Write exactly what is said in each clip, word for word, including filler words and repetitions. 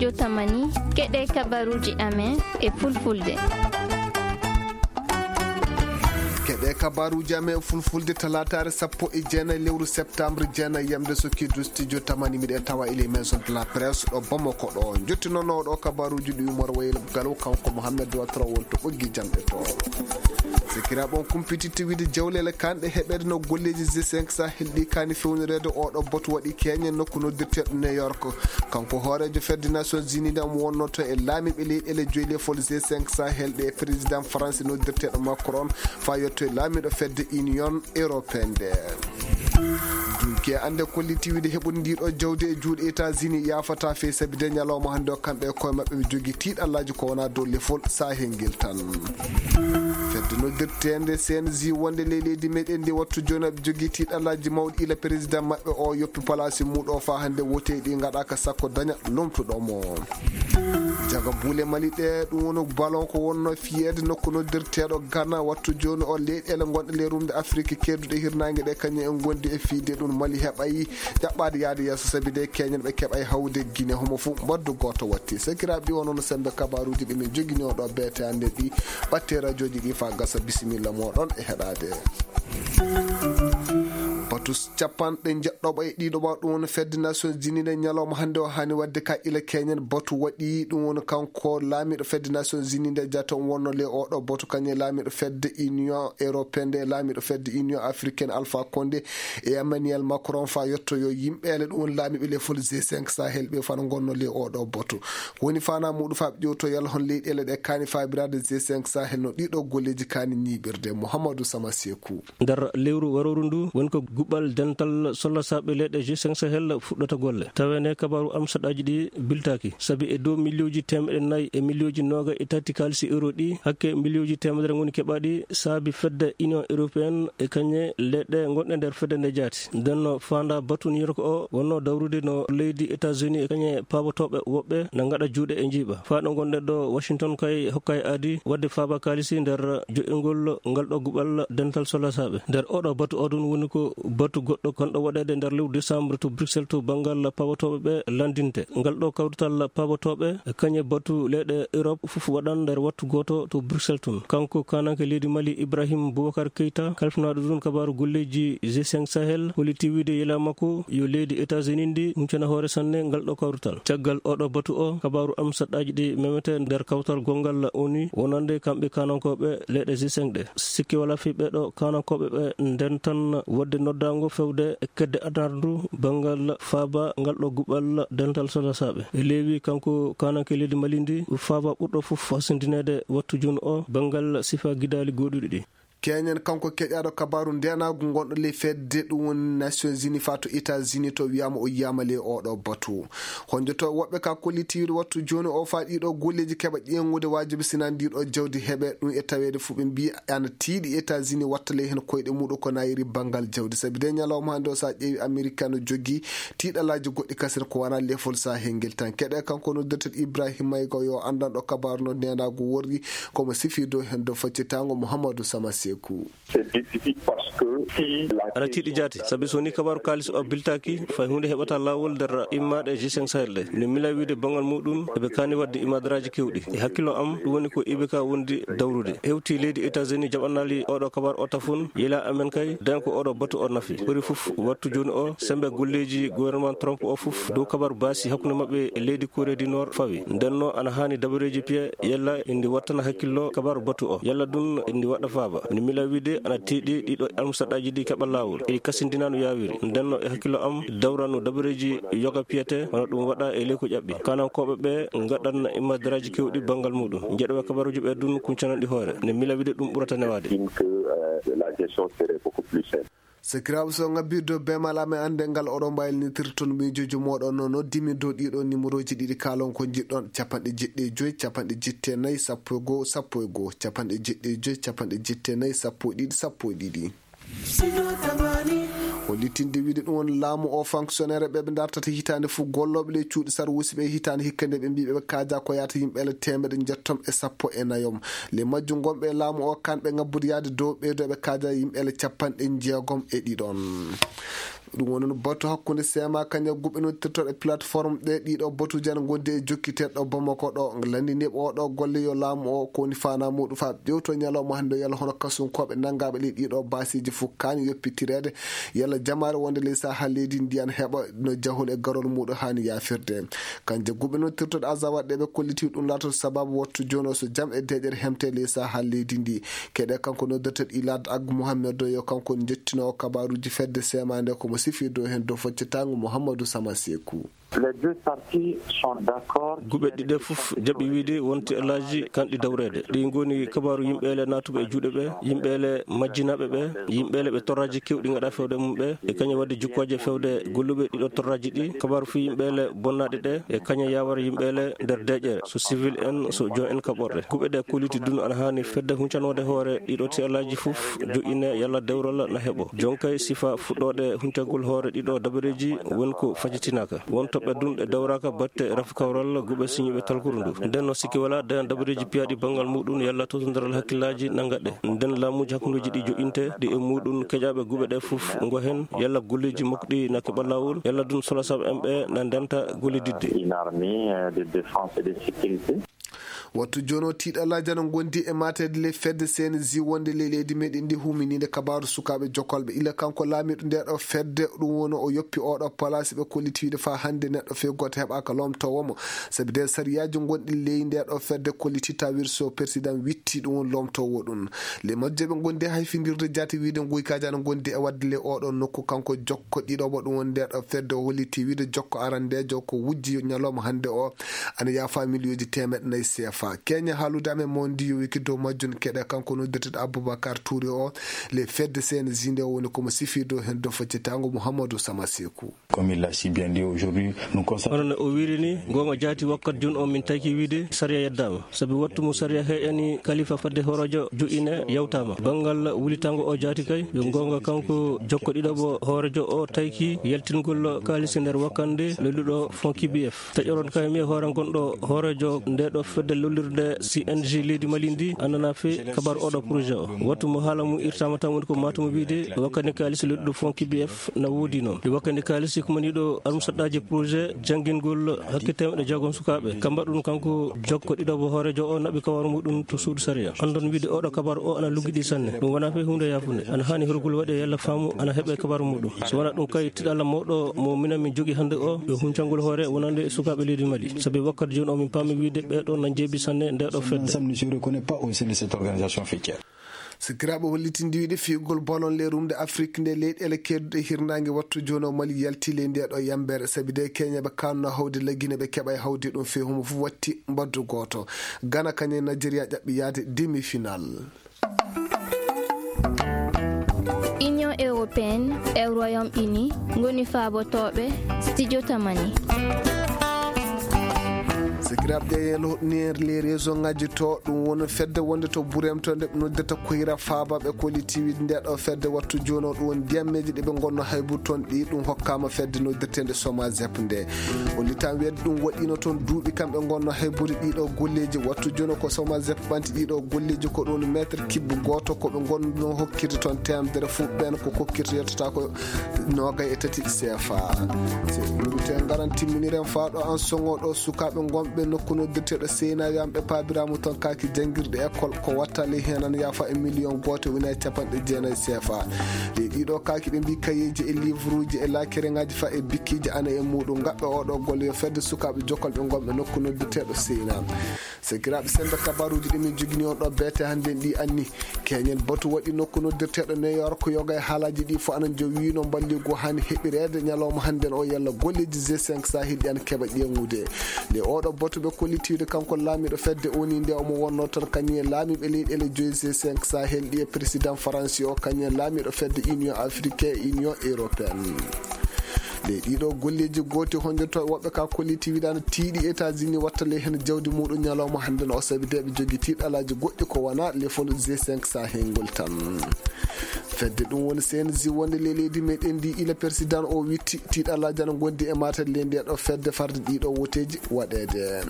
Jotamani, keɗe kabaruuji amen e fulfulde. Keɗe kabaruuji amen e fulfulde, talaataare sappo e jeenayi lewru septembre, jeenayi yamde sokki du studio tamani, miɗen tawa ele maison de la presse ɗo Bamako ɗo. Jottinono ɗo kabaruuji ɗi Umar Wayel Galo, kanko Mohamed Watro wonto ɓoggi jamɗe to. Sikira ɓon kumpititti wiide jawlele kanɗe heɓede no golleeji G cinq Sahel ɗi kani fewnireede oɗo batu waɗi keñe nokku noddirteeɗo New York. Kanko hooreejo fedde Nations Unies nde omo wonnoto e laamiiɓe leyɗeele joyi lefol G cinq Sahel ɗe, président France noddirteeɗo Macron, faa yetto e laamiiɗo fedde Union Européenne nde. Dunki e annde kolliti wiide heɓude ndiɗo jawdi e juuɗe États-Unis yaafata fey sabi de ñalawma hannde o kamɓe e koye maɓɓe ɓe jogii tiiɗallaaji ko wonaa dow lefol Sahel ngel tan. Fedde noddirteende C N J wonde ley leydi meɗen ndi wattu jooni aɓe jogii tiiɗallaaji mawɗi ila président maɓɓe o yoppi palaasi muuɗo o faa hannde woteeji ɗi ngaɗaaka sakko daña lomtuɗo mo. Jaga buule Mali ɗe, ɗum woni ballon ko wonno fiyeede nokku noddirteeɗo Ghana. Wattu jooni o leyɗeele gonɗe ley rumde Afiriki kedduɗe hirnaange ɗe kañum en ngondi e fiyde ɗum. Mali heɓay jaɓɓaade yaade yeeso sabi de keñen ɓe keɓay hawde Gine homo fof mbaddu gooto watti. Sakiraaɓe ɗi wonno no sembe kabaruuji ɗi min jogini oɗo beete hannde ɗi ɓatte radiooji ɗi faa gasa bisimilla mooɗon e heɗaade. Batu capanɗe jeɗɗoɓa e ɗiɗoɓa ɗum woni fedde Nations Unies nde ñalawma hannde o haani waɗde ka ila keñen batu waɗi ɗum woni kanko laamiiɗo fedde Nations Unies nde jata on wonno le oɗo batu kañum e laamiiɗo fedde Union Européenne nde laamiiɗo fedde Union Africaine Alpha Condé e Emmanuel Macron faa yetto yo yimɓeele ɗum woni laamiiɓe lefol G cinq Sahel ɓe fana ngonno le oɗo batu. Woni fana muɗum faa ɓe ƴewto yalla hon leyɗeele ɗe kaani faabiraade G cinq Sahel no ɗiɗo golleeji kaani ñiiɓirde. Mouhamadou Sama Sekou. Nder lewru warooru ndu woni ko guɓal dental sollasaaɓe leyɗe G cinq Sahel fuɗɗata golle. Taweende kabaaru amsaɗaaji ɗi biltaaki. Sabi e dow miliyooji teemeɗe nayi e miliyooji nooga e tati kaalisi euro ɗi, hakke miliyooji teemedere ngoni keɓaaɗi saabi fedde Union Européenne e kañe leyɗe gonɗe nder fedde nde jaati. Nden no faanda batu New York o wonno dawrude no leydi États-Unis e kañe paabotooɓe woɓɓe na ngaɗa juuɗe e njiiɓa. Faa ɗo ngonɗen ɗo Washington kay hokkay aadi waɗde faaba kaalisi nder joƴƴingol ngal ɗo guɓal dental sollasaaɓe. Nder oɗo batu o ɗum woni ko batu goɗɗo kanɗo waɗeede nder lewru décembre to Bruxelles to banngal paabotooɓe ɓe landinte. Ngal ɗo kawrital paabotooɓe e kañe batu leyɗe Europe fof waɗan nder wattu gooto to Bruxelles tun. Kanko kananke leydi Mali Ibrahim Boubacar Keita, kalfinaaɗo ɗum kabaaru golleeji G cinq Sahel, holliti wiide yela makko yo leydi États-Unis ndi huncana hoore sanne ngal ɗo kawrital. Caggal oɗo batu o, kabaaru amsaɗaaji ɗi memete nder kawtal gongal ONU, wonande kamɓe kanankooɓe leyɗe G cinq ɗe. Sikke walaa fii ɓeeɗo kanankooɓe ɓe ndentan waɗde noddaango fewde e kedde adarndu banngal faaba ngal ɗo guɓal dental sollasaaɓe. E leewi kanko kananke leydi Mali ndi faaba ɓurɗo fof hasindineede wattu jooni o banngal sifa gidaali gooduɗi ɗi. Keñen kanko keƴaaɗo kabaaru ndeenaagu ngonɗo ley fedde ɗum woni Nations Unies faa to États-Unis to wiyaama o yiyaama ley oɗo batu. Honjoto woɓɓe ka kollitiiɗo wattu jooni o faa ɗiɗo golleeji keɓa ƴeeŋude waajibi sinaa ndiɗo jawdi heɓe ɗum e taweede fuu ɓe mbiyi ana tiiɗi États-Unis watta ley heen koyɗe muuɗum ko nayiri banngal jawdi. Sabi de ñalawma hannde o so a ƴeewi Amerika no jogii tiiɗalaaji goɗɗi kasen ko wanaa lefol Sahel ngel tan. Keɗe kanko noddirteeɗo Ibrahima Mayga yo anndanɗo kabaaru no ndeenaagu worri komo sifii dow heen dow faccitaango Mouhamadou Sama Sekou. C'est difficile parce que si la Aɗa tiiɗi question jaati, sabi so ni kabaaru kaalis o biltaaki, fay huunde heɓata laawol nder immaaɗe G cinq Sahel ɗe. Nde mila wiide banngal muuɗum, eɓe kaani waɗde imaadaraaji keewɗi. E hakkillo am, ɗum woni ko I B K wondi dawrude. Hewti leydi États-Unis jaɓanaali oɗo kabaaru o tafun, yela amen kay, den ko oɗo batu o nafi. Ɓuri fof wattu jooni o, sembe golleeji gouvernement Trump o fof, dow kabaaru baasi hakkunde maɓɓe e leydi Corée du Nord fawi. Ndenno ana haani dabareeji piye yalla indi wattana hakkillo kabaaru batu o. Yalla ɗum indi waɗa faaba. Nde mila wiide ana tiiɗi ɗiɗo amsaɗaaji ɗi keɓa laawol. Eɗi kasindina no yaawiri. Ndenno e hakkillo am dawrano dabareeji yoga piyete wano ɗum waɗa e ley ko ƴaɓɓi. Kanankooɓe ɓe ngaɗan imaadaraaji keewɗi banngal muuɗum. Njeɗoɓe kabaaruuji ɓe ɗum kuncananɗi hoore. Nde mila wiide ɗum ɓurata newaade. Ɗin que, euh, la gestion serait beaucoup plus simple. Sakiraaɓe, so ngabbii dow beemal amen annde ngal oɗon mbaylinitirton miijooji mooɗon no noddimi dow ɗiɗo nimerooji ɗiɗi kaalon ko njiɗɗon, capanɗe jeɗɗi e joy, capanɗe jetti e nayi, sappo e goo, sappo e goo, capanɗe jeɗɗi e joy, capanɗe jetti e nayi, sappo e ɗiɗi, sappo e ɗiɗi. Hollitinde wiide ɗum woni laamu o fonctionnaire ɓe ɓe dartata hitaande fof gollooɓe ɗe cuuɗi sarwuusi ɓe hitaande hikka nde ɓe mbii ɓe kaajaa ko yaata yimɓe ele teemeɗe njettom e sappo e nayom. Le majjum gonɓe e laamu o kanɓe ngabbude yaade dow ɓeydo ɓe kaajaa yimɓe ele capanɗe jeegom e ɗiɗon. Ɗum woni no batu hakkunde seema kañum e guɓe noddirtooɗe plateforme ɗe. Ɗiɗo batuuji ana ngondi e jokkiteeɗo Bamako ɗo. Lanndiniiɓe oɗo golle yo laamu o ko woni faanaa muɗum faa ƴewto ñalawma hannde yalla hono kasunkooɓe nanngaaɓe ley ɗiɗo baasiiji fof kaani yoppitireede, yalla jamaare wonde ley sahaa leydi ndi ana heɓa no jahol e garol muɗum haani yaafirde. Kanje guɓe noddirtooɗe Azawad ɗe ɓe kolliti ɗum laatoto sababu wattu jooni o so jam e deeƴere hemte ley sahaa leydi ndi. Keɗe kanko noddirteeɗo Ilad Ag Mohamed o yo kanko woni njettinoowo kabaaruuji fedde seemaande ko mo sifii dow heen dow foccetaango Mouhamadou Sama Seku. Les deux parties sont d'accord. Guɓe ɗiɗe fof jaɓi wiide wonti alaaji kanɗi dawreede. Ɗi ngoni kabaaru yimɓe ele naatuɓe e juuɗe ɓe, yimɓe ele majjinaaɓe ɓe, yimɓe ele ɓe torraaji kewɗi ngaɗa fewde mum ɓe, e kañum waɗde jukkooje fewde golluɓe ɗiɗo torraaji ɗi, kabaaru fii yimɓe ele bonnaaɗe ɗe, e kañum yawara yimɓe ele nder deeƴere, so civil en, so jon en kaɓorɗe. Guɓe ɗe kolliti dun ana haani fedde huncanoode hoore ɗiɗo ti alaaji fof, joƴƴine yalla dewral na heɓo. Jonkay sifa fuɗɗoode huncagol hoore ɗiɗo dabareeji woni ko fajitinaaka. Won toɓɓe dun ɗe dawraaka batte rafi kawral guɓe siñiiɓe talkuru ndu. Nden no sikki wala dayan dabareeji piyaaɗi banngal muɗum yalla tottondiral hakkillaaji na ngaɗe. Nden laamuuji hakkundeeji ɗi joƴƴinte ɗi e muɗum keƴaaɓe guɓe ɗe fof ngo heen yalla golleeji makko ɗi na keɓa laawol yalla dun solasaaɓe en ɓe na ndenta gollididde. Une armée, euh, de défense et de sécurité. Wattu jooni o tiiɗalaaji ana ngondi e maateede ley fedde C N J wonde ley leydi meɗen ndi huminiinde kabaaru sukaaɓe jokkolɓe. Ila kanko laamiiɗo nde ɗo fedde ɗum woni o yoppi oɗo palaasi ɓe kolliti wiide faa hannde neɗɗo fee gooto heɓaaka loomtoowo mo. Sabi nden sariyaaji gonɗi ley nde ɗo fedde kolliti tawir so président witti ɗum woni loomtoowo ɗum. Ley majje ɓe ngondi hay findirde jaati wiide nguykaaji ana ngondi e waɗde ley oɗo nokku kanko jokko ɗiɗo mo ɗum woni nde ɗo fedde o holliti wiide jokko arandeejo ko wujji ñalawma hannde o ana yaafa miliyonji teemeɗɗe nayi C F A. Keña haalude amen mo ndi yowiki dow majjum keɗe kanko noddirteeɗo Aboubacar Touré o, le fedde C N J nde o woni komo sifi dow heen dow faccitaango Mouhamadou Sama Seku. Comme il l'a si bien dit aujourd'hui, nous constatons. Hono no o wiiri ni, goonga jaati wakkati jooni o min tayki wiide sariya yeddaama. Sabi wattu mo sariya heƴani kalifa fadde hooreejo joƴƴine yawtaama. Banngal wulitaango o jaati kay, yo goonga kanko jokko ɗiɗaɓo hooreejo o tayki yaltingol kaalisi nder wakkande lolluɗo Fonds K B F. Taƴoron kay mi e hoore gonɗo hooreejo nde ɗo fedde lollirde C N J leydi Mali ndi annana fe kabar oɗo projet o. Wattu mo haala mum irtaama tan woni ko maata mo wiide wakkande kaalisi lolluɗo Fonds K B F na woodi noon. Ɗi wakkande kaalisi ko mani ɗo almusaɗɗaaji projet janngingol hakke teemeɗɗe jeegom sukaaɓe. Kam mbaɗɗun kanko jokko ɗiɗaɓo hooreejo o naɓi kawar muɗum to suudu sariya. Anndon wiide oɗo kabar o ana luggiɗi sanne. Ɗum wonaa fe huunde yaafunde. Ana haani horgol waɗe yalla faamu ana heɓe kabar muɗum. So wonaa ɗum kay tiɗalla mawɗo mo minen min jogi hannde o yo huncangol hoore wonande e sukaaɓe leydi Mali. Sabi wakkati jooni o min paami wiide ɓee ɗo na njeebi sanne nde ɗo fedde. Ensemble ne se reconnaît pas au sein de cette organisation faîtière. Sikiraaɓe hollitindi wiide fiyugol bolon le rumde Afrik nde leyɗeele keeduɗe hirnaange wattu jooni o Mali yalti ley nde ɗo yambere sabi de keñeɓe kanno hawde laggine ɓe keɓa e hawde ɗum fe homo fof watti mbaddu gooto. Gana kañe Nigeria ƴaɓɓi yaade demi-final. Union européenne e Royaume-Uni ngoni faabotooɓe studio Tamani. Sikiraaɓe ƴeeñen hoɗnir les réseau ngaji to ɗum woni fedde wonde to Burem to nde ɓe noddirta Koyra Faaba ɓe kolliti wiide nde ɗo fedde wattu jooni o ɗum woni ndiyammeeji ɗi ɓe ngonno haybude toon ɗi ɗum hokkaama fedde noddirteende Somazep nde. Hollitaama wiyeede ɗum waɗiino toon duuɓi kamɓe ngonno haybude ɗiɗo golleeji wattu jooni ko Somazep ɓanti ɗiɗo golleeji ko ɗum meetre kibbe gooto ko ɓe ngonno hokkirde toon teemedere fof ɓeen ko kokkirta yettata ko noogay e tati C F A. Se ɗum te ngaran timminiren faa ɗo an soŋo ɗo sukaaɓe ngonɓe nokku noddirteeɗo Seyna Yamɓe paabiraamu toon kaaki janngirɗe école ko watta ley heen ana yaafa e million gooto wona e capanɗe jeenayi C F A. Ley ɗiɗo kaaki ɓe mbii kayeeji e livruuji e laakereŋaaji faa e bikkiiji ana e muuɗum ngaɓɓe oɗo golle yo fedde sukaaɓe jokkolɓe ngonɓe nokku noddirteeɗo Seyna. Sakiraaɓe, semmbe kabaaruuji ɗi min njogini on ɗo beete hannde ɗi anni. Keñen batu waɗi nokku noddirteeɗo New York yoga e haalaaji ɗi fof ana jowiino mballigu haani heɓireede ñalawma hannden o yalla golleeji G cinq Sahel ɗi ana keɓa ƴeeŋude. Nde oɗo batu ɓe kollitiiɗo kanko laamiiɗo fedde O N U nde omo wonnoo toon kañum e laamiiɓe leyɗeele joyi G cinq Sahel ɗi e président Faransi o kañum e laamiiɗo fedde Union Africaine e Union Européenne. Nde ɗiɗo golleeji gooti honjoto woɓɓe ka kolliti wiɗaano tiiɗi États-Unis watta ley heen jawdi muɗum ñalawma hannden o sabi de ɓe jogi tiiɗalaaji goɗɗi ko wona lefol G cinq Sahel ngol tan. Fedde ɗum woni C N J wonde ley leydi meɗen ndi ila président o witti tiiɗalaaji ana ngondi e matel ley nde ɗo fedde farde ɗiɗo woteeji waɗeede.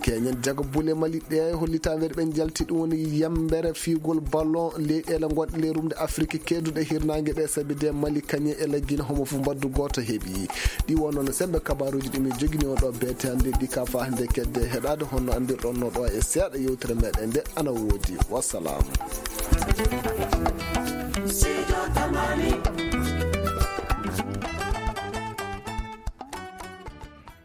Keñen jaga bule Mali ɗe hollitaandeeɗe ɓe njalti ɗum woni yambere fiyugol ballon leyɗeele gonɗe ley rumde Afiriki keeduɗe hirnaange ɗe, sabi de Mali kañe e Laggine homo fof mbaddu gooto heɓi. Ɗi wonno no sembe kabaruuji ɗi min jogini on ɗo beete hannde ɗi ka faa hannde kedde heɗaade honno anndirɗon no ɗo e seeɗa yewtere meɗen nde ana woodi. Wassalam.